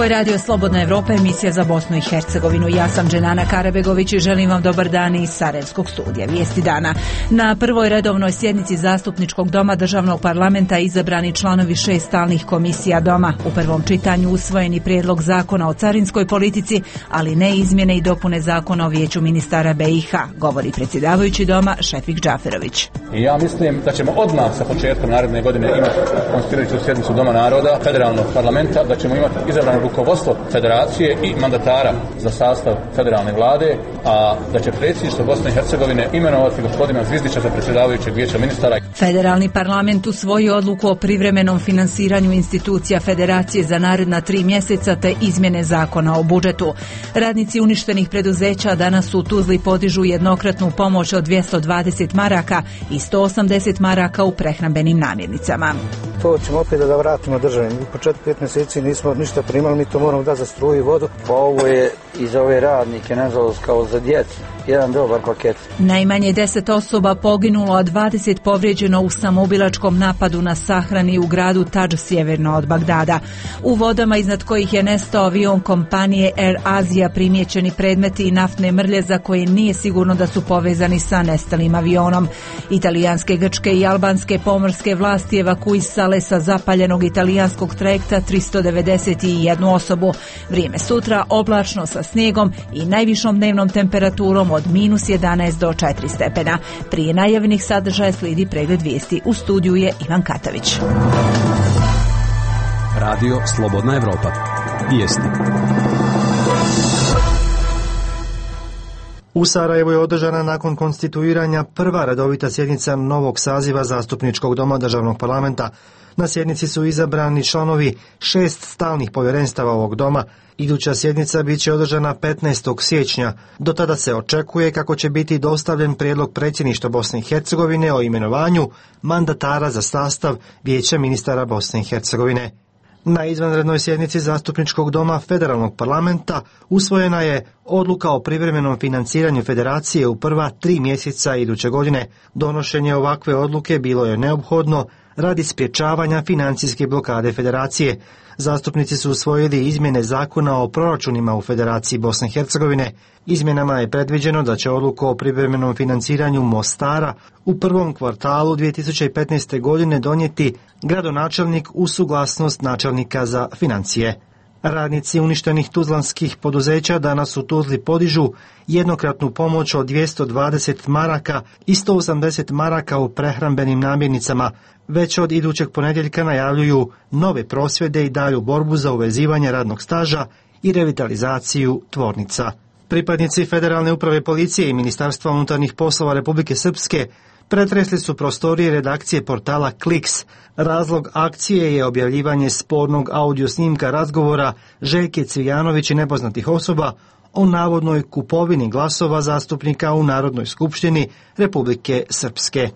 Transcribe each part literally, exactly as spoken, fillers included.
Ovo je Radio Slobodna Evropa, emisija za Bosnu i Hercegovinu. Ja sam Dženana Karabegović i želim vam dobar dan iz Sarajevskog studija. Vijesti dana. Na prvoj redovnoj sjednici Zastupničkog doma Državnog parlamenta izabrani članovi šest stalnih komisija doma. U prvom čitanju usvojeni prijedlog zakona o carinskoj politici, ali ne izmjene i dopune zakona o vijeću ministara B i H, govori predsjedavajući doma Šefik Džaferović. I ja mislim da ćemo odmah sa početkom naredne godine imati konstituirajuću sjednicu Doma naroda, federalnog parlamenta, da ćemo imati izabrano rukovodstvo federacije i mandatara za sastav federalne vlade, a da će predsjedništvo Bosne i Hercegovine imenovati gospodina Zvizdića za predsjedavajućeg vijeća ministara. Federalni parlament usvojio odluku o privremenom finansiranju institucija federacije za naredna tri mjeseca te izmjene zakona o budžetu. Radnici uništenih preduzeća danas u Tuzli podižu jednokratnu pomoć od dvjesto dvadeset maraka i sto osamdeset maraka u prehrambenim namirnicama. To ćemo opet da vratimo državi. Mi po četiri pet mjeseci nismo ništa primali, mi to moramo da za struju i vodu. Pa ovo je i za ove radnike, nažalost, kao za djecu. Jedan dobar paket. Najmanje deset osoba poginulo, a dvadeset povrijeđeno u samoubilačkom napadu na sahrani u gradu Tadž sjeverno od Bagdada. U vodama iznad kojih je nestao avion kompanije Air Asia primijećeni predmeti i naftne mrlje za koje nije sigurno da su povezani sa nestalim avionom. Italijanske, grčke i albanske pomorske vlasti evakuisale sa zapaljenog italijanskog trajekta tristo devedeset jednu osobu. Vrijeme sutra oblačno sa snijegom i najvišom dnevnom temperaturom od minus jedanaest do četiri stepena. Prije najavljenih sadržaja slijedi pregled vijesti. U studiju je Ivan Katavić. Radio Slobodna Evropa. Vijesti. U Sarajevu je održana nakon konstituiranja prva redovita sjednica novog saziva Zastupničkog doma Državnog parlamenta. Na sjednici su izabrani članovi šest stalnih povjerenstava ovog doma. Iduća sjednica bit će održana petnaestog siječnja. Do tada se očekuje kako će biti dostavljen prijedlog predsjedništva Bosne i Hercegovine o imenovanju mandatara za sastav vijeća ministara Bosne i Hercegovine. Na izvanrednoj sjednici Zastupničkog doma Federalnog parlamenta usvojena je odluka o privremenom financiranju federacije u prva tri mjeseca iduće godine. Donošenje ovakve odluke bilo je neophodno radi sprječavanja financijske blokade federacije. Zastupnici su usvojili izmjene zakona o proračunima u Federaciji Bosne i Hercegovine. Izmjenama je predviđeno da će odluku o privremenom financiranju Mostara u prvom kvartalu dvije tisuće petnaeste. godine donijeti gradonačelnik uz suglasnost načelnika za financije. Radnici uništenih tuzlanskih poduzeća danas u Tuzli podižu jednokratnu pomoć od dvjesto dvadeset maraka i sto osamdeset maraka u prehrambenim namirnicama. Već od idućeg ponedjeljka najavljuju nove prosvjede i dalju borbu za uvezivanje radnog staža i revitalizaciju tvornica. Pripadnici Federalne uprave policije i Ministarstva unutarnjih poslova Republike Srpske pretresli su prostorije redakcije portala Kliks. Razlog akcije je objavljivanje spornog audio snimka razgovora Željke Cvijanović i nepoznatih osoba o navodnoj kupovini glasova zastupnika u Narodnoj skupštini Republike Srpske.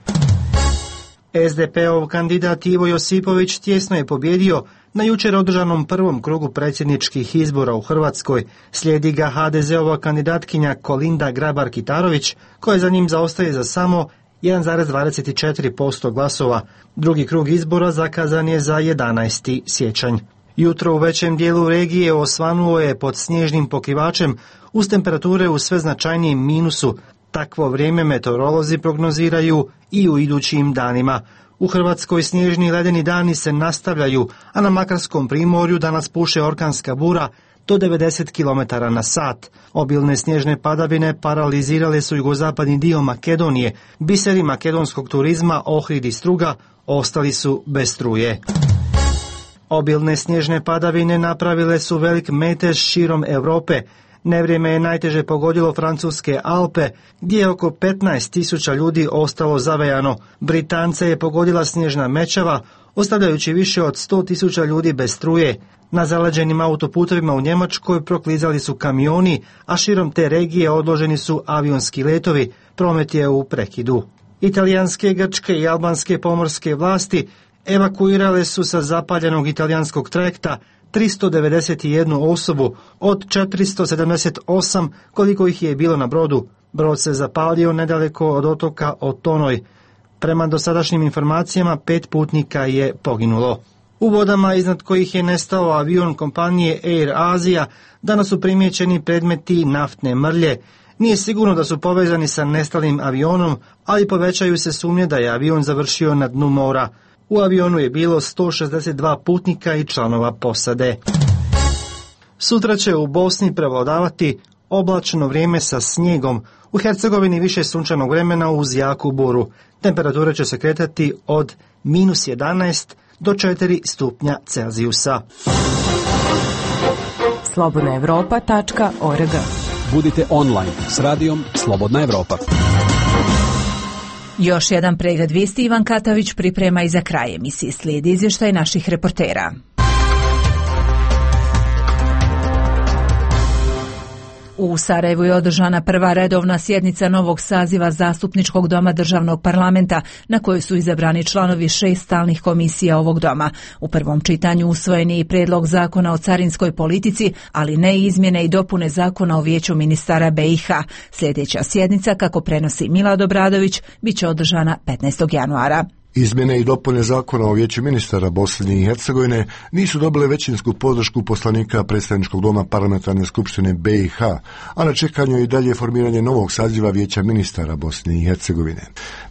es de pe-ov kandidat Ivo Josipović tjesno je pobjedio na jučer održanom prvom krugu predsjedničkih izbora u Hrvatskoj. Slijedi ga ha de ze-ova kandidatkinja Kolinda Grabar-Kitarović, koja za njim zaostaje za samo jedan zarez dvadeset četiri posto glasova. Drugi krug izbora zakazan je za jedanaesti siječanj. Jutro u većem dijelu regije osvanulo je pod snježnim pokrivačem uz temperature u sve značajnijem minusu. Takvo vrijeme meteorolozi prognoziraju i u idućim danima. U Hrvatskoj snježni ledeni dani se nastavljaju, a na Makarskom primorju danas puše orkanska bura do devedeset kilometara na sat. Obilne snježne padavine paralizirale su jugozapadni dio Makedonije. Biseri makedonskog turizma, Ohrid i Struga, ostali su bez struje. Obilne snježne padavine napravile su velik metež širom Europe. Nevrijeme je najteže pogodilo francuske Alpe, gdje je oko petnaest tisuća ljudi ostalo zavejano. Britance je pogodila snježna mećava, ostavljajući više od sto tisuća ljudi bez struje. Na zaleđenim autoputovima u Njemačkoj proklizali su kamioni, a širom te regije odloženi su avionski letovi. Promet je u prekidu. Italijanske, grčke i albanske pomorske vlasti evakuirale su sa zapaljenog italijanskog trajekta tristo devedeset jednu osobu od četiristo sedamdeset osam koliko ih je bilo na brodu. Brod se zapalio nedaleko od otoka Otonoj. Prema dosadašnjim informacijama pet putnika je poginulo. U vodama iznad kojih je nestao avion kompanije Air Asia danas su primijećeni predmeti naftne mrlje. Nije sigurno da su povezani sa nestalim avionom, ali povećaju se sumnje da je avion završio na dnu mora. U avionu je bilo sto šezdeset dva putnika i članova posade. Sutra će u Bosni prevladavati oblačno vrijeme sa snijegom. U Hercegovini više sunčanog vremena uz jaku buru. Temperatura će se kretati od minus jedanaest do četiri stupnja Celzijusa. slobodna evropa tačka org. Budite online s radijom Slobodna Evropa. Još jedan pregled vijesti Ivan Katavić priprema i za kraj emisije slijedi izvještaj naših reportera. U Sarajevu je održana prva redovna sjednica novog saziva Zastupničkog doma Državnog parlamenta, na kojoj su izabrani članovi šest stalnih komisija ovog doma. U prvom čitanju usvojen je i prijedlog zakona o carinskoj politici, ali ne i izmjene i dopune zakona o vijeću ministara B i H. Sljedeća sjednica, kako prenosi Milad Obradović, bit će održana petnaestog januara. Izmjene i dopune zakona o vijeću ministara Bosne i Hercegovine nisu dobile većinsku podršku poslanika predstavničkog doma parlamentarne skupštine B i H, a na čekanju je i dalje formiranje novog saziva vijeća ministara Bosne i Hercegovine.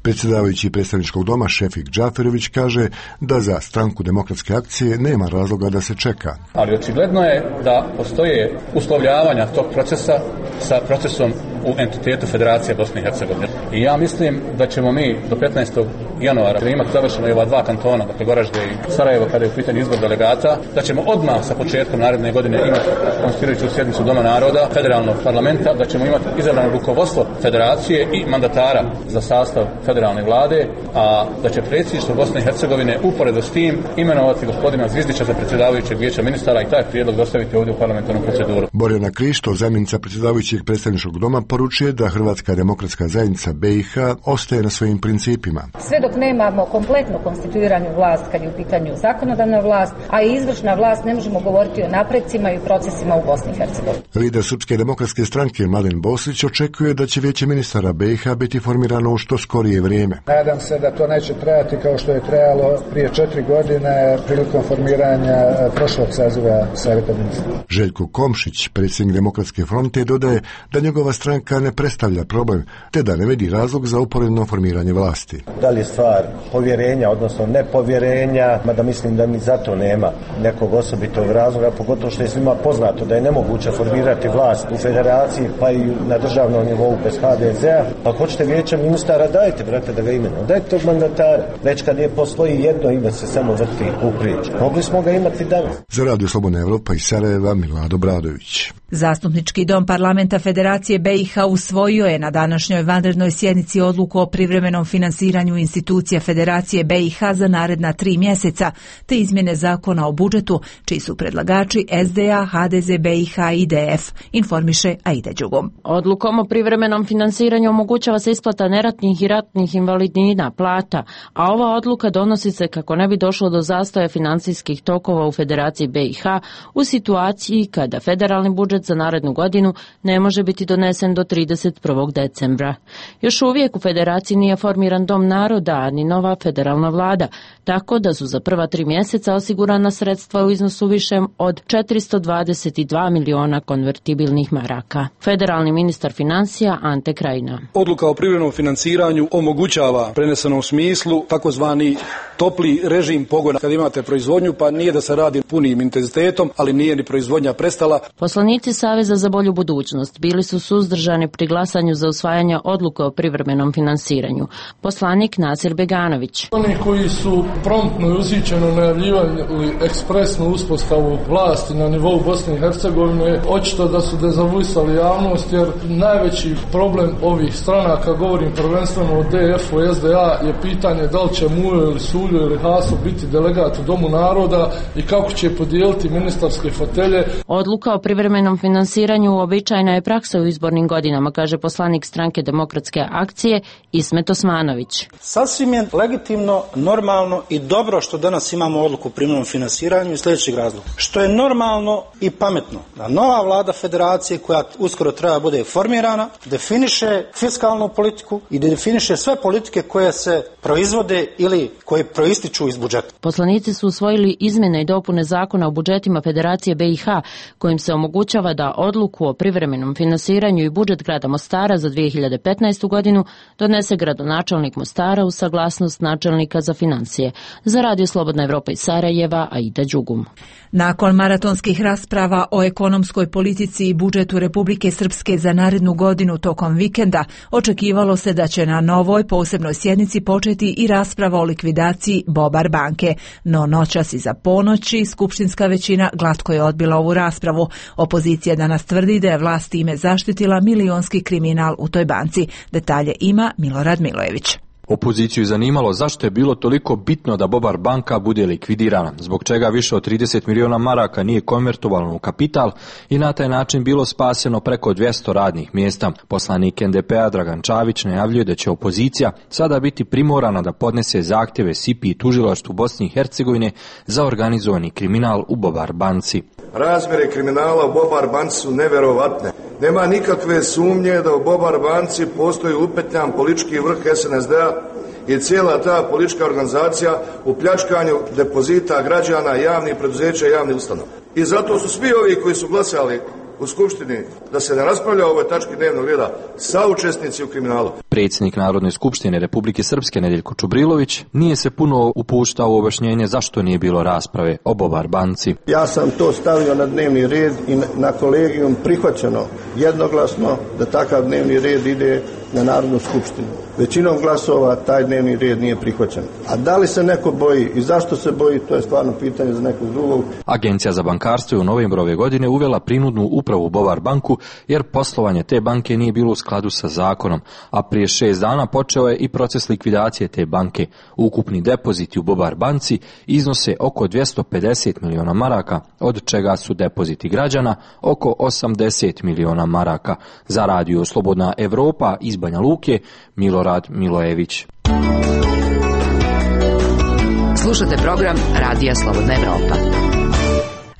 Predsjedavajući predstavničkog doma Šefik Džaferović kaže da za stranku Demokratske akcije nema razloga da se čeka. Ali očigledno je da postoje uslovljavanja tog procesa sa procesom u entitetu Federacije Bosne i Hercegovine. I ja mislim da ćemo mi do petnaestog januara imati završeno i ova dva kantona, dakle Goražde i Sarajevo, kada je u pitanju izbor delegata, da ćemo odmah sa početkom naredne godine imati konstituirajuću sjednicu Doma naroda, federalnog parlamenta, da ćemo imati izabrano rukovodstvo federacije i mandatara za sastav federalne vlade, a da će predsjedništvo Bosne i Hercegovine uporedo s tim imenovati gospodina Zvizdića za predsjedavajućeg vijeća ministara i taj prijedlog dostaviti ovdje u parlamentarnu proceduru. Borjana Krišto, zamjenica predsjedavajućeg predstavničkog doma, poručuje da Hrvatska demokratska zajednica B i H ostaje na svojim principima. Sve dok nemamo kompletnu konstituiranu vlast kad je u pitanju zakonodavna vlast, a i izvršna vlast, ne možemo govoriti o napredcima i procesima u Bosni i Hercegovini. Lider Srpske demokratske stranke Mladen Boslić očekuje da će vijeće ministara B i H biti formirano u što skorije vrijeme. Nadam se da to neće trajati kao što je trajalo prije četiri godine prilikom formiranja prošlog saziva Savjeta ministara. Željko Komšić, predsjednik Demokratske fronte, dodaje da njegova stranka ne predstavlja problem, te da ne vidi razlog za uporedno formiranje vlasti. Da li je stvar povjerenja, odnosno nepovjerenja, mada mislim da ni zato nema nekog osobitog razloga, pogotovo što je svima poznato da je nemoguće formirati vlast u federaciji pa i na državnom nivou bez H D Z-a. Pa hoćete vijeća ministara, dajte, brate, da ga imenujemo. Dajte tog mandatara. Već kad je postoji jedno ime se samo vrti u priči. Mogli smo ga imati danas. Za Radio Slobodna Evropa iz Sarajeva, Milad Obradović. Zastupnički dom parlamenta Federacije B i H usvojio je na današnjoj vanrednoj sjednici odluku o privremenom finansiranju institucija Federacije B i H za naredna tri mjeseca, te izmjene zakona o budžetu, čiji su predlagači S D A, H D Z B i H i D F, informiše Aida Đugom. Odlukom o privremenom finansiranju omogućava se isplata neratnih i ratnih invalidnina, plata, a ova odluka donosi se kako ne bi došlo do zastoja financijskih tokova u Federaciji B i H u situaciji kada federalni budžet za narednu godinu ne može biti donesen do trideset prvog decembra. Još uvijek u Federaciji nije formiran Dom naroda, ni nova federalna vlada, tako da su za prva tri mjeseca osigurana sredstva u iznosu višem od četiristo dvadeset dva miliona konvertibilnih maraka. Federalni ministar financija Ante Krajina. Odluka o privremenom financiranju omogućava prenesenom smislu takozvani topli režim pogona kad imate proizvodnju, pa nije da se radi punim intenzitetom, ali nije ni proizvodnja prestala. Poslanici Saveza za bolju budućnost bili su suzdržani pri glasanju za usvajanje odluke o privremenom finansiranju. Poslanik Nasir Beganović. Oni koji su promptno i ushićeno najavljivali ekspresnu uspostavu vlasti na nivou Bosne i Hercegovine, očito da su dezavuisali javnost, jer najveći problem ovih stranaka, govorim prvenstveno o D F-u i S D A, je pitanje da li će Mujo ili Suljo ili Haso biti delegat u Domu naroda i kako će podijeliti ministarske fotelje. Odluka o privremenom privremenom finansiranju uobičajena je praksa u izbornim godinama, kaže poslanik stranke Demokratske akcije Ismet Osmanović. Sasvim je legitimno, normalno i dobro što danas imamo odluku o privremenom finansiranju iz sljedećeg razloga. Što je normalno i pametno da nova vlada federacije koja uskoro treba bude formirana definiše fiskalnu politiku i definiše sve politike koje se proizvode ili koje proističu iz budžeta. Poslanici su usvojili izmjene i dopune zakona o budžetima Federacije B i H kojim se omogućava da odluku o privremenom finansiranju i budžet grada Mostara za dvije hiljade petnaestu godinu donese gradonačelnik Mostara uz saglasnost načelnika za financije. Za Radio Slobodna Evropa iz Sarajeva, Aida Đugum. Nakon maratonskih rasprava o ekonomskoj politici i budžetu Republike Srpske za narednu godinu tokom vikenda, očekivalo se da će na novoj posebnoj sjednici početi i rasprava o likvidaciji Bobar banke. No noćas iza ponoći skupštinska većina glatko je odbila ovu raspravu. Opozicija danas tvrdi da je vlast time zaštitila milionski kriminal u toj banci. Detalje ima Milorad Milojević. Opoziciju zanimalo zašto je bilo toliko bitno da Bobar banka bude likvidirana, zbog čega više od trideset miliona maraka nije konvertovano u kapital i na taj način bilo spaseno preko dvjesto radnih mjesta. Poslanik N D P-a Dragan Čavić najavljuje da će opozicija sada biti primorana da podnese zahtjeve S I P I i tužilaštvu Bosne i Hercegovine za organizovani kriminal u Bobar banci. Razmjere kriminala u Bobar banci su neverovatne. Nema nikakve sumnje da u Bobar banci postoji upetljan politički vrh S N S D-a i cijela ta politička organizacija u pljačkanju depozita građana, javnih preduzeća i javnih ustanova. I zato su svi ovi koji su glasali u Skupštini da se ne raspravlja o ovoj tački dnevnog reda saučesnici u kriminalu. Predsjednik Narodne skupštine Republike Srpske Nedeljko Čubrilović nije se puno upuštao u objašnjenje zašto nije bilo rasprave o Bobar banci. Ja sam to stavio na dnevni red i na kolegijum prihvaćeno jednoglasno da takav dnevni red ide na Narodnu skupštinu. Većinom glasova taj dnevni red nije prihvaćen. A da li se neko boji i zašto se boji, to je stvarno pitanje za nekog drugog. Agencija za bankarstvo je u novembru ove godine uvela prinudnu upravu Bobar banku jer poslovanje te banke nije bilo u skladu sa zakonom, a prije šest dana počeo je i proces likvidacije te banke. Ukupni depoziti u Bobar banci iznose oko dvjesto pedeset miliona maraka, od čega su depoziti građana oko osamdeset miliona maraka. Za Radio Slobodna Evropa iz Banja Luke, Milorad Milojević. Slušate program Radija Slobodna Evropa.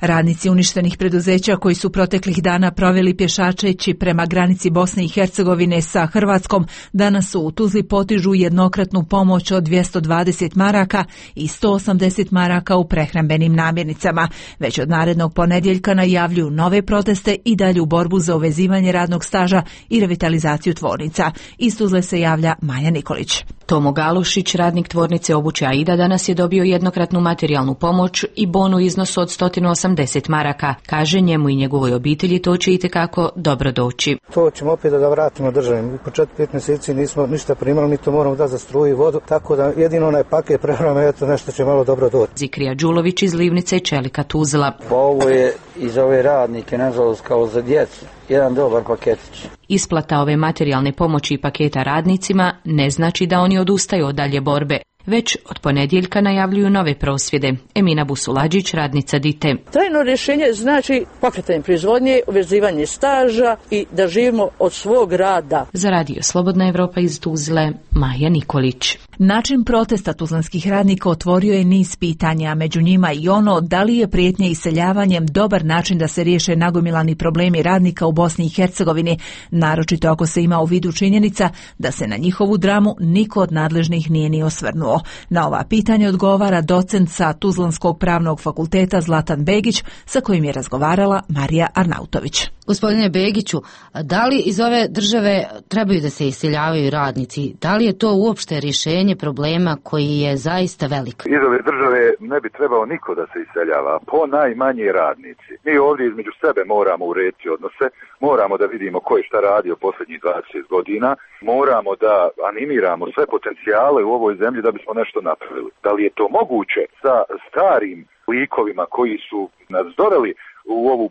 Radnici uništenih preduzeća koji su proteklih dana proveli pješačeći prema granici Bosne i Hercegovine sa Hrvatskom danas su u Tuzli potižu jednokratnu pomoć od dvjesto dvadeset maraka i sto osamdeset maraka u prehrambenim namirnicama. Već od narednog ponedjeljka najavljuju nove proteste i dalju borbu za uvezivanje radnog staža i revitalizaciju tvornica. Iz Tuzle se javlja Maja Nikolić. Tomo Galušić, radnik tvornice obuće Aida, danas je dobio jednokratnu materijalnu pomoć i bon u iznosu od sto osamdeset maraka. Kaže, njemu i njegovoj obitelji to će itekako dobro doći. To ćemo opet da vratimo državi. Po četiri pet mjeseci nismo ništa primali, mi to moramo da za struju i vodu, tako da jedino onaj paket prehrane, eto nešto će malo dobro doći. Zikrija Đulović iz Livnice, Čelika Tuzla. Pa ovo je i za ove radnike, nažalost, kao za djecu, jedan dobar paketić. Isplata ove materijalne pomoći i paketa radnicima ne znači da oni odustaju od dalje borbe. Već od ponedjeljka najavljuju nove prosvjede. Emina Busulađić, radnica Dite. Trajno rješenje znači pokretanje proizvodnje, uvezivanje staža i da živimo od svog rada. Za Radio Slobodna Evropa iz Tuzle, Maja Nikolić. Način protesta tuzlanskih radnika otvorio je niz pitanja, među njima i ono da li je prijetnja iseljavanjem dobar način da se riješe nagomilani problemi radnika u Bosni i Hercegovini, naročito ako se ima u vidu činjenica da se na njihovu dramu niko od nadležnih nije ni osvrnuo. Na ova pitanja odgovara docent sa Tuzlanskog pravnog fakulteta Zlatan Begić, sa kojim je razgovarala Marija Arnautović. Gospodine Begiću, da li iz ove države trebaju da se iseljavaju radnici? Da li je to uopšte rješenje problema koji je zaista velik? Iz ove države ne bi trebao niko da se iseljava, po najmanje radnici. Mi ovdje između sebe moramo urediti odnose, moramo da vidimo ko je šta radio posljednjih dvadeset godina, moramo da animiramo sve potencijale u ovoj zemlji da bismo nešto napravili. Da li je to moguće sa starim likovima koji su nas doveli u ovu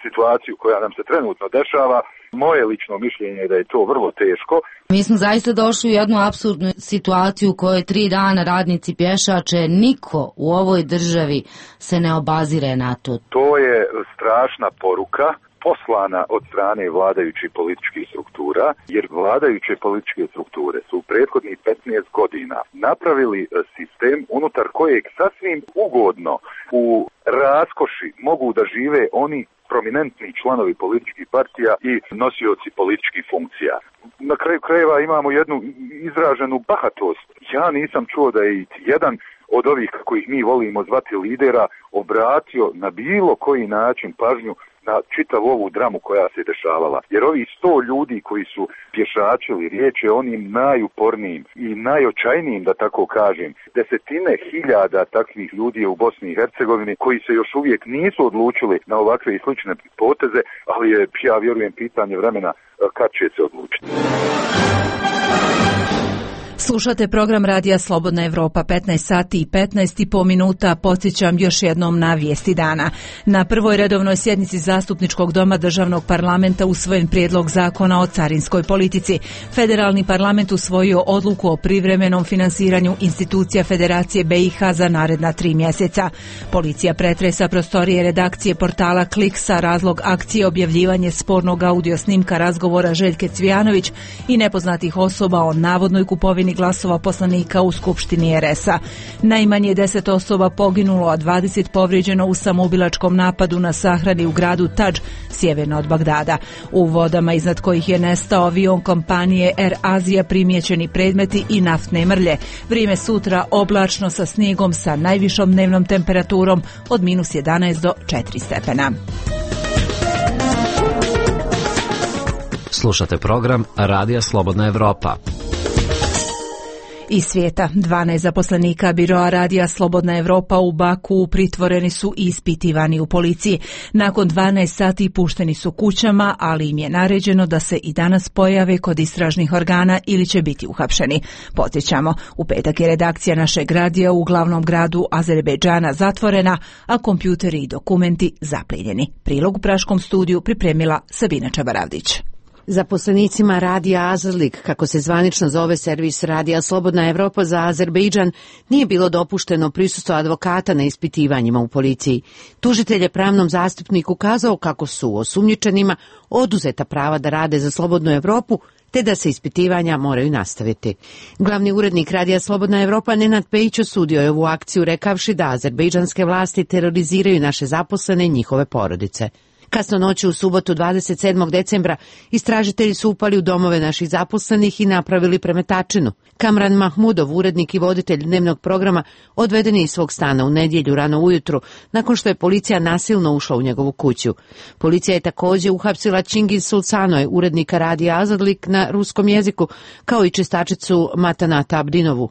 situaciju koja nam se trenutno dešava? Moje lično mišljenje je da je to vrlo teško. Mi smo zaista došli u jednu apsurdnu situaciju u kojoj tri dana radnici pješače, niko u ovoj državi se ne obazire na to. To je strašna poruka, poslana od strane vladajućih političkih struktura, jer vladajuće političke strukture su u prethodnih petnaest godina napravili sistem unutar kojeg sasvim ugodno u raskoši mogu da žive oni prominentni članovi političkih partija i nosioci političkih funkcija. Na kraju krajeva imamo jednu izraženu bahatost. Ja nisam čuo da je jedan od ovih, kako ih mi volimo zvati lidera, obratio na bilo koji način pažnju na čitavu ovu dramu koja se dešavala. Jer ovi sto ljudi koji su pješačili, riječ je onim najupornijim i najočajnijim, da tako kažem, desetine hiljada takvih ljudi je u Bosni i Hercegovini koji se još uvijek nisu odlučili na ovakve i slične poteze, ali je, ja vjerujem, pitanje vremena kad će se odlučiti. Slušate program Radija Slobodna Evropa, petnaest sati i petnaest i po minuta. Podsjećam još jednom na vijesti dana. Na prvoj redovnoj sjednici Zastupničkog doma Državnog parlamenta usvojen prijedlog zakona o carinskoj politici. Federalni parlament usvojio odluku o privremenom finansiranju institucija Federacije B i H za naredna tri mjeseca. Policija pretresa prostorije redakcije portala Kliksa, razlog akcije objavljivanje spornog audio snimka razgovora Željke Cvijanović i nepoznatih osoba o navodnoj kupovini glasova poslanika u Skupštini R S-a. Najmanje deset osoba poginulo, a dvadeset povrijeđeno u samoubilačkom napadu na sahrani u gradu Tadž, sjeverno od Bagdada. U vodama iznad kojih je nestao avion kompanije Air Asia primijećeni predmeti i naftne mrlje. Vrijeme sutra oblačno sa snijegom sa najvišom dnevnom temperaturom od minus jedanaest do četiri stepena. Slušate program Radija Slobodna Evropa. Iz svijeta, dvanaest zaposlenika biroa Radija Slobodna Evropa u Baku pritvoreni su i ispitivani u policiji. Nakon dvanaest sati pušteni su kućama, ali im je naređeno da se i danas pojave kod istražnih organa ili će biti uhapšeni. Podsjećamo, u petak je redakcija našeg radija u glavnom gradu Azerbejdžana zatvorena, a kompjuteri i dokumenti zaplijenjeni. Prilog u praškom studiju pripremila Sabina Čabaravdić. Zaposlenicima Radija Azerlik, kako se zvanično zove servis Radija Slobodna Evropa za Azerbejdžan, nije bilo dopušteno prisustvo advokata na ispitivanjima u policiji. Tužitelj je pravnom zastupniku kazao kako su osumnjičenima oduzeta prava da rade za Slobodnu Evropu, te da se ispitivanja moraju nastaviti. Glavni urednik Radija Slobodna Evropa Nenad Pejić osudio je ovu akciju rekavši da azerbejdžanske vlasti teroriziraju naše zaposlene i njihove porodice. Kasno noći u subotu dvadeset sedmog decembra istražitelji su upali u domove naših zaposlenih i napravili premetačinu. Kamran Mahmudov, urednik i voditelj dnevnog programa, odveden je iz svog stana u nedjelju rano ujutru, nakon što je policija nasilno ušla u njegovu kuću. Policija je također uhapsila Čingiz Sulcanoj, urednika Radija Azadlik na ruskom jeziku, kao i čistačicu Matanata Abdinovu.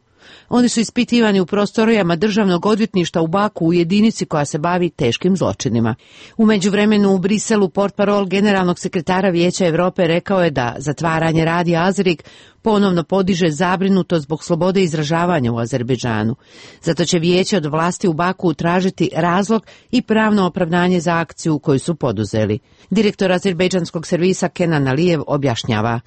Oni su ispitivani u prostorijama državnog odvjetništva u Baku u jedinici koja se bavi teškim zločinima. U međuvremenu u Briselu portparol generalnog sekretara Vijeća Europe rekao je da zatvaranje Radija Azrik ponovno podiže zabrinutost zbog slobode izražavanja u Azerbejdžanu. Zato će vijeće od vlasti u Baku tražiti razlog i pravno opravdanje za akciju koju su poduzeli. Direktor azerbejdžanskog servisa Kenan Alijev objašnjava.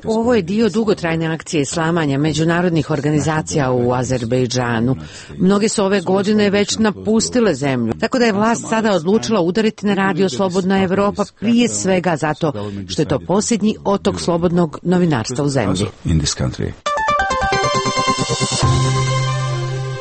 Ovo je dio dugotrajne akcije slamanja međunarodnih organizacija u Azerbejdžanu. Mnoge su ove godine već napustile zemlju, tako da je vlast sada odlučila udariti na Radio Slobodna Evropa prije svega zato što je to posljednji otok slobodnog novinarstva u zemlji.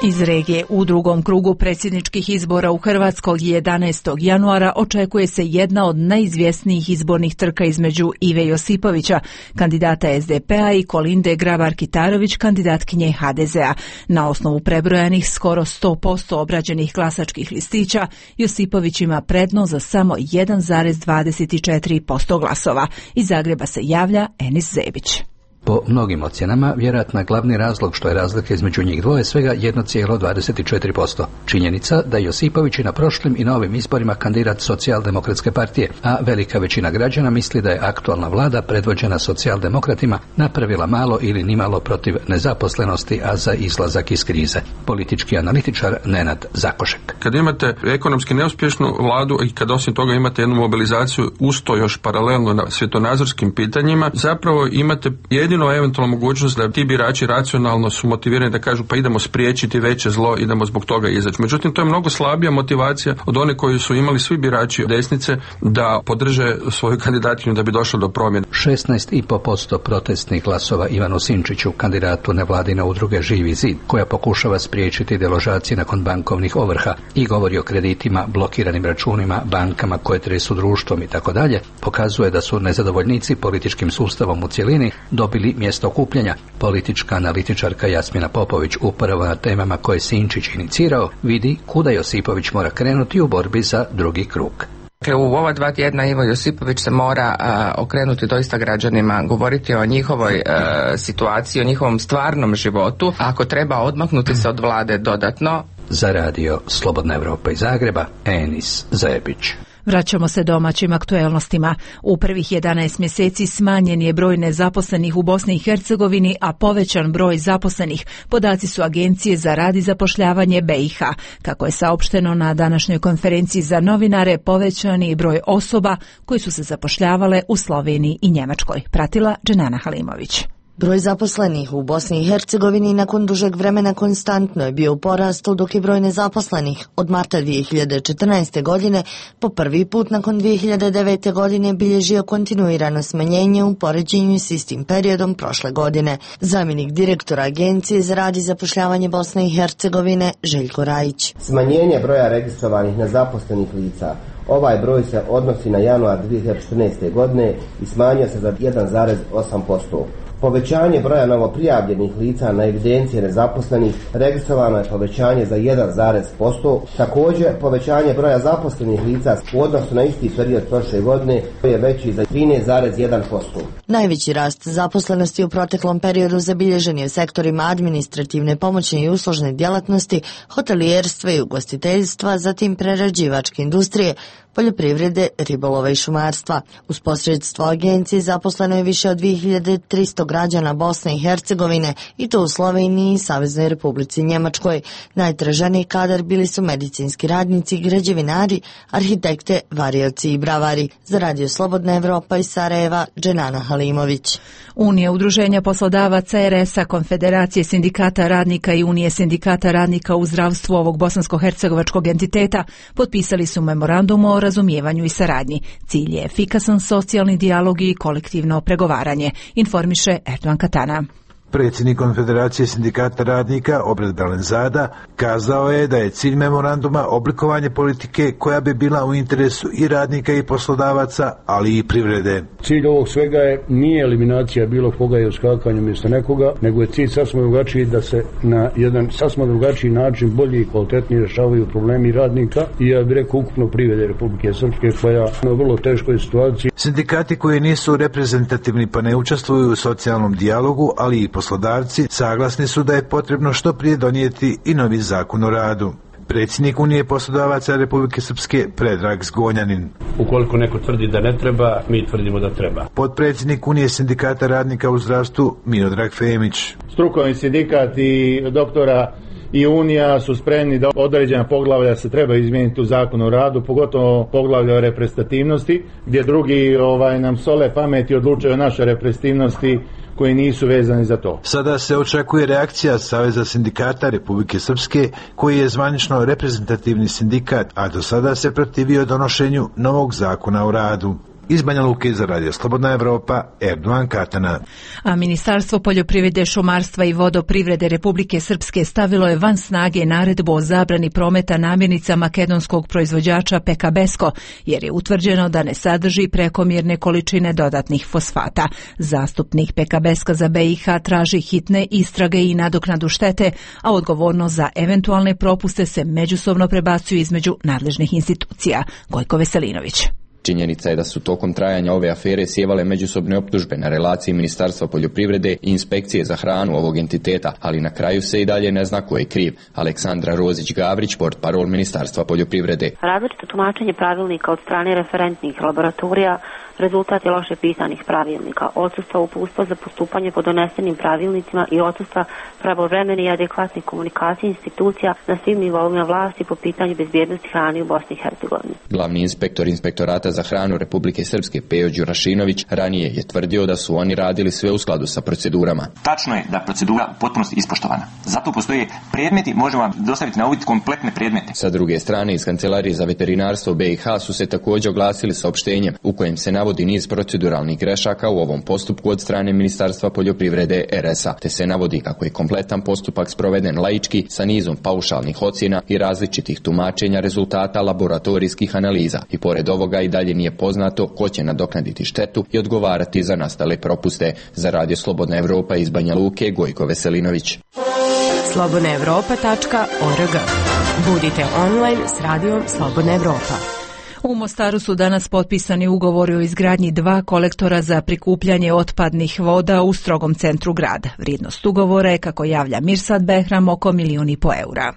Iz regije u drugom krugu predsjedničkih izbora u Hrvatskoj jedanaestog januara očekuje se jedna od najizvjesnijih izbornih trka između Ive Josipovića, kandidata S D P-a, i Kolinde Grabar-Kitarović, kandidatkinje H D Z-a. Na osnovu prebrojanih skoro sto posto obrađenih glasačkih listića, Josipović ima prednost za samo jedan zarez dvadeset četiri posto glasova. Iz Zagreba se javlja Enis Zebić. Po mnogim ocjenama, vjerojatno je glavni razlog što je razlika između njih dvoje svega jedan zarez dvadeset četiri posto. Činjenica da Josipović i na prošlim i na ovim izborima kandidat Socijaldemokratske partije, a velika većina građana misli da je aktualna vlada predvođena socijaldemokratima napravila malo ili nimalo protiv nezaposlenosti, a za izlazak iz krize. Politički analitičar Nenad Zakošek. Kad imate ekonomski neuspješnu vladu i kad osim toga imate jednu mobilizaciju usto još paralelno na svjetonazorskim pitanjima, zapravo imate jedinu jedino eventualno mogućnost da ti birači racionalno su motivirani da kažu pa idemo spriječiti veće zlo, idemo zbog toga izaći. Međutim, to je mnogo slabija motivacija od one koju su imali svi birači desnice da podrže svoju kandidatkinju da bi došlo do promjene. šesnaest i po posto protestnih glasova Ivanu Sinčiću, kandidatu nevladine udruge Živi zid, koja pokušava spriječiti deložacije nakon bankovnih ovrha i govori o kreditima, blokiranim računima, bankama koje tresu društvom i tako dalje, pokazuje da su nezadovoljnici političkim sustavom u cjelini dobili mjesto okupljanja. Politička analitičarka Jasmina Popović, upravo na temama koje Sinčić inicirao, vidi kuda Josipović mora krenuti u borbi za drugi krug. U ova dva tjedna Ivo Josipović se mora uh, okrenuti doista građanima, govoriti o njihovoj uh, situaciji, o njihovom stvarnom životu. Ako treba odmaknuti se od vlade dodatno. Za radio Slobodna Evropa iz Zagreba, Enis Zebić. Vraćamo se domaćim aktuelnostima. U prvih jedanaest mjeseci smanjen je broj nezaposlenih u Bosni i Hercegovini, a povećan broj zaposlenih. Podaci su Agencije za rad i zapošljavanje B i H. Kako je saopšteno na današnjoj konferenciji za novinare, povećani broj osoba koji su se zapošljavale u Sloveniji i Njemačkoj. Pratila Dženana Halimović. Broj zaposlenih u Bosni i Hercegovini nakon dužeg vremena konstantno je bio u porastu, dok je broj nezaposlenih od marta dvije hiljade četrnaeste. godine po prvi put nakon dvije hiljade devete. godine bilježio kontinuirano smanjenje u poređenju s istim periodom prošle godine. Zamjenik direktora Agencije za rad i zapošljavanje Bosne i Hercegovine Željko Rajić. Smanjenje broja registrovanih nezaposlenih lica. Ovaj broj se odnosi na januar dvije hiljade četrnaeste. godine i smanjio se za jedan zarez osam posto. Povećanje broja novoprijavljenih lica na evidencije nezaposlenih, registrovano je povećanje za jedan zarez posto. Također, povećanje broja zaposlenih lica u odnosu na isti period prošle godine je veći za trinaest zarez jedan posto. Najveći rast zaposlenosti u proteklom periodu zabilježen je u sektorima administrativne, pomoćne i uslužne djelatnosti, hotelijerstva i ugostiteljstva, zatim prerađivačke industrije, poljoprivrede, ribolova i šumarstva. Uz posredstvo agencije zaposleno je više od dvije hiljade tristo građana Bosne i Hercegovine, i to u Sloveniji i Saveznoj Republici Njemačkoj. Najtraženiji kadar bili su medicinski radnici, građevinari, arhitekte, varioci i bravari. Za radio Slobodna Evropa iz Sarajeva, Dženana Halimović. Unija udruženja poslodavaca R S A, Konfederacije sindikata radnika i Unije sindikata radnika u zdravstvu ovog bosansko-hercegovačkog entiteta potpisali su memorandum o razumijevanju i saradnji. Cilj je efikasan socijalni dijalog i kolektivno pregovaranje, informiše Erdogan Katana. Predsjednik Konfederacije sindikata radnika Obred Dalenzada kazao je da je cilj memoranduma oblikovanje politike koja bi bila u interesu i radnika i poslodavaca, ali i privrede. Cilj ovog svega je nije eliminacija bilo koga i uskakanje mjesto nekoga, nego je cilj sasvim drugačiji, da se na jedan sasvim drugačiji način bolje i kvalitetnije rješavaju problemi radnika i, ja bih rekao, ukupno privrede Republike Srpske, koja je na vrlo teškoj situaciji. Sindikati koji nisu reprezentativni pa ne učestvuju u socijalnom dijalogu, ali i poslodavci saglasni su da je potrebno što prije donijeti i novi zakon o radu. Predsjednik Unije poslodavaca Republike Srpske Predrag Zgonjanin. Ukoliko neko tvrdi da ne treba, mi tvrdimo da treba. Potpredsjednik Unije sindikata radnika u zdravstvu Miodrag Femić. Strukovni sindikat i doktora i Unija su spremni da određena poglavlja se treba izmijeniti u zakonu o radu, pogotovo poglavlja o reprezentativnosti, gdje drugi ovaj, nam sole pamet i odlučuju o našoj reprezentativnosti koji nisu vezani za to. Sada se očekuje reakcija Saveza sindikata Republike Srpske, koji je zvanično reprezentativni sindikat, a do sada se protivio donošenju novog zakona o radu. Iz Banja Luke za radio Slobodna Evropa, Erdogan Katana. A Ministarstvo poljoprivrede, šumarstva i vodoprivrede Republike Srpske stavilo je van snage naredbu o zabrani prometa namirnica makedonskog proizvođača Peka Besko, jer je utvrđeno da ne sadrži prekomjerne količine dodatnih fosfata. Zastupnik Peka Beska za B i H traži hitne istrage i nadoknadu štete, a odgovornost za eventualne propuste se međusobno prebacuju između nadležnih institucija. Gojko Veselinović. Činjenica je da su tokom trajanja ove afere sjevale međusobne optužbe na relaciji Ministarstva poljoprivrede i Inspekcije za hranu ovog entiteta, ali na kraju se i dalje ne zna ko je kriv. Aleksandra Rozić-Gavrić, portparol Ministarstva poljoprivrede. Različito tumačenje pravilnika od strane referentnih laboratorija rezultat je loše pisanih pravilnika, odsustva uputstva za postupanje po donesenim pravilnicima i odsustva pravovremene i adekvatne komunikacije institucija na svim nivoima vlasti po pitanju bezbjednosti hrane u Bosni i Hercegovini. Glavni inspektor Inspektorata za hranu Republike Srpske Pejo Đurašinović ranije je tvrdio da su oni radili sve u skladu sa procedurama. Tačno je da procedura u potpunosti ispoštovana. Zato postoje predmeti, možemo vam dostaviti na uvid kompletne predmete. Sa druge strane, iz Kancelarije za veterinarstvo B i H su se također oglasili saopštenjem u kojem se navodi niz proceduralnih grešaka u ovom postupku od strane Ministarstva poljoprivrede R S A, te se navodi kako je kompletan postupak sproveden laički sa nizom paušalnih ocjena i različitih tumačenja rezultata laboratorijskih analiza. I pored ovoga i dalje nije poznato ko će nadoknaditi štetu i odgovarati za nastale propuste. Za Radio Slobodna Evropa iz Banja Luke, Gojko Veselinović. slobodna evropa tačka org. Budite online s Radijom Slobodna Evropa. U Mostaru su danas potpisani ugovori o izgradnji dva kolektora za prikupljanje otpadnih voda u strogom centru grada. Vrijednost ugovora je, kako javlja Mirsad Behram, oko milijun i po eura.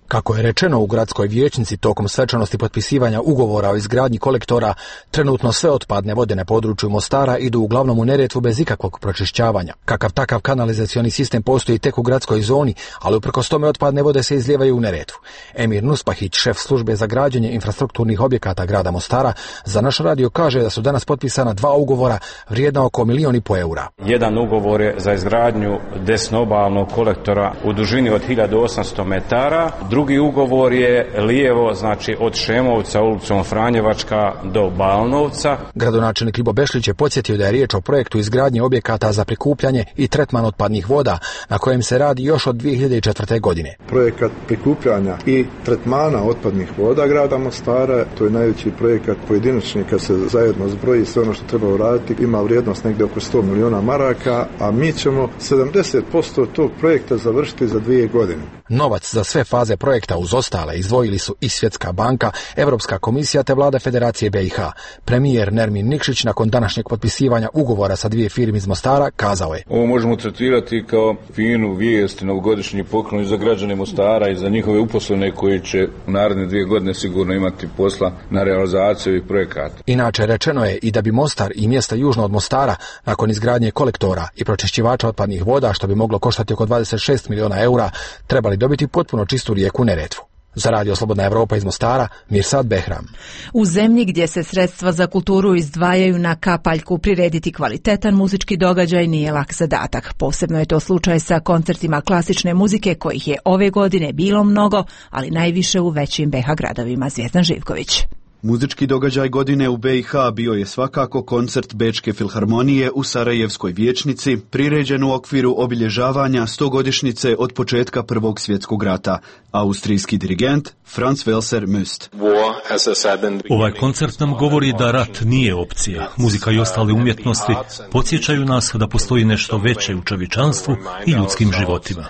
Kako je rečeno u gradskoj vijećnici tokom svečanosti potpisivanja ugovora o izgradnji kolektora, trenutno sve otpadne vode na području Mostara idu uglavnom u Neretvu bez ikakvog pročišćavanja. Kakav takav kanalizacioni sistem postoji tek u gradskoj zoni, ali uprkos tome otpadne vode se izlijevaju u Neretvu. Emir Nuspahić, šef službe za građenje infrastrukturnih objekata grada Mostara, za naš radio kaže da su danas potpisana dva ugovora vrijedna oko milijun i po eura. Jedan ugovor je za izgradnju desnoobalnog kolektora u dužini od hiljadu osamsto metara, drugi ugovor je lijevo, znači od Šemovca ulicom Franjevačka do Balnovca. Gradonačelnik Ljubo Bešlić je podsjetio da je riječ o projektu izgradnje objekata za prikupljanje i tretman otpadnih voda, na kojem se radi još od dvije hiljade četvrte. godine. Projekat prikupljanja i tretmana otpadnih voda grada Mostara, to je najveći projekat pojedinačni kad se zajedno zbroji sve ono što treba uraditi, ima vrijednost negdje oko sto miliona maraka, a mi ćemo sedamdeset posto tog projekta završiti za dvije godine. Novac za sve faze projekta uz ostale izdvojili su i Svjetska banka, Europska komisija te vlada Federacije B i H. Premijer Nermin Nikšić nakon današnjeg potpisivanja ugovora sa dvije firme iz Mostara kazao je: Ovo možemo tretirati kao finu vijest, novogodišnji poklon za građane Mostara i za njihove uposlene koji će u naredne dvije godine sigurno imati posla na realizaciju ovih projekata. Inače rečeno je i da bi Mostar i mjesta južno od Mostara nakon izgradnje kolektora i pročišćivača otpadnih voda, što bi moglo koštati oko dvadeset šest miliona eura, trebali dobiti potpuno čistu rijeku Neretvu. Za Radio Slobodna Evropa iz Mostara, Mirsad Behram. U zemlji gdje se sredstva za kulturu izdvajaju na kapaljku, prirediti kvalitetan muzički događaj nije lak zadatak. Posebno je to slučaj sa koncertima klasične muzike, kojih je ove godine bilo mnogo, ali najviše u većim B iH gradovima. Zvijezdan Živković. Muzički događaj godine u B iH bio je svakako koncert Bečke filharmonije u Sarajevskoj vijećnici, priređen u okviru obilježavanja stogodišnjice od početka Prvog svjetskog rata. Austrijski dirigent Franz Welser Möst. Ovaj koncert nam govori da rat nije opcija. Muzika i ostale umjetnosti podsjećaju nas da postoji nešto veće u čovječanstvu i ljudskim životima.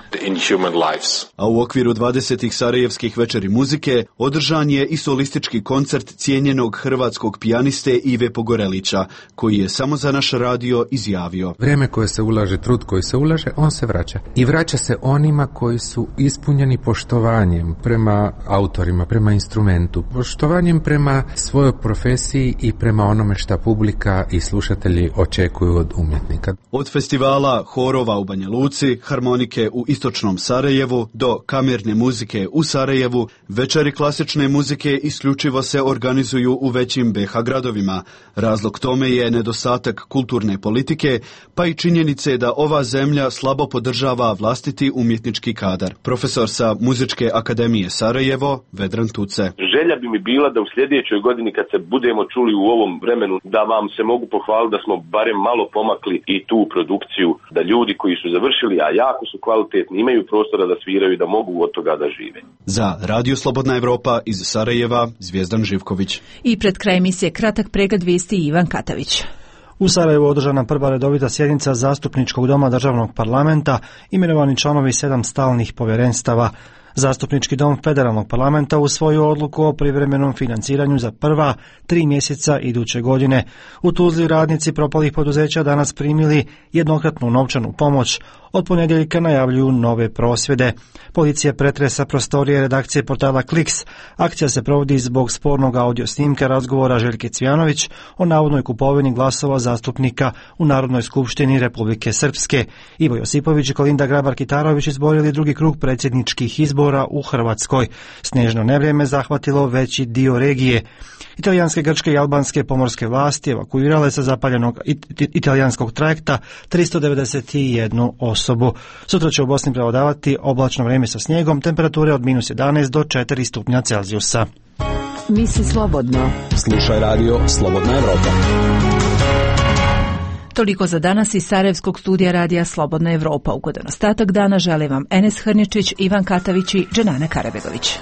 A u okviru dvadesetih Sarajevskih večeri muzike održan je i solistički koncert cijenjenog hrvatskog pijaniste Ive Pogorelića, koji je samo za naš radio izjavio: Vrijeme koje se ulaže, trud koji se ulaže, on se vraća. I vraća se onima koji su ispunjeni poštovanjem prema autorima, prema instrumentu, poštovanjem prema svojoj profesiji i prema onome šta publika i slušatelji očekuju od umjetnika. Od festivala horova u Banja Luci, harmonike u istočnom Sarajevu do kamerne muzike u Sarajevu, večeri klasične muzike isključivo se organizuju u većim B iH gradovima. Razlog tome je nedostatak kulturne politike, pa i činjenice da ova zemlja slabo podržava vlastiti umjetnički kadar. Profesor sa Muzičke akademije Sarajevo, Vedran Tuce. Želja bi mi bila da u sljedećoj godini, kad se budemo čuli u ovom vremenu, da vam se mogu pohvaliti da smo barem malo pomakli i tu produkciju, da ljudi koji su završili, a jako su kvalitetni, imaju prostora da sviraju i da mogu od toga da žive. Za Radio Slobodna Evropa iz Sarajeva, Zvijezdan Živković. I pred kraj emisije kratak pregled vijesti Ivan Katavić. U Sarajevu održana prva redovita sjednica Zastupničkog doma državnog parlamenta, imenovani članovi sedam stalnih povjerenstava. Zastupnički dom federalnog parlamenta usvojio odluku o privremenom financiranju za prva tri mjeseca iduće godine. U Tuzli radnici propalih poduzeća danas primili jednokratnu novčanu pomoć od ponedjeljka najavljuju nove prosvjede. Policija pretresa prostorije redakcije portala Kliks. Akcija se provodi zbog spornog audio snimka razgovora Željke Cvjanović o navodnoj kupovini glasova zastupnika u Narodnoj skupštini Republike Srpske. Ivo Josipović i Kolinda Grabar-Kitarović izborili drugi krug predsjedničkih izbora u Hrvatskoj. Snežno nevrijeme zahvatilo veći dio regije. Italijanske, grčke i albanske pomorske vlasti evakuirale sa zapaljenog it- italijanskog trajekta tristo devedeset jednu osobu. Sutra će u Bosni prevladavati oblačno vrijeme sa snijegom, temperature od minus jedanaest do četiri stupnja Celzijusa. Misli slobodno. Slušaj radio Slobodna Evropa. Toliko za danas iz Sarajevskog studija radija Slobodna Evropa. Ugodan ostatak dana žele vam Enes Hrničić, Ivan Katavić i Dženana Karabegović.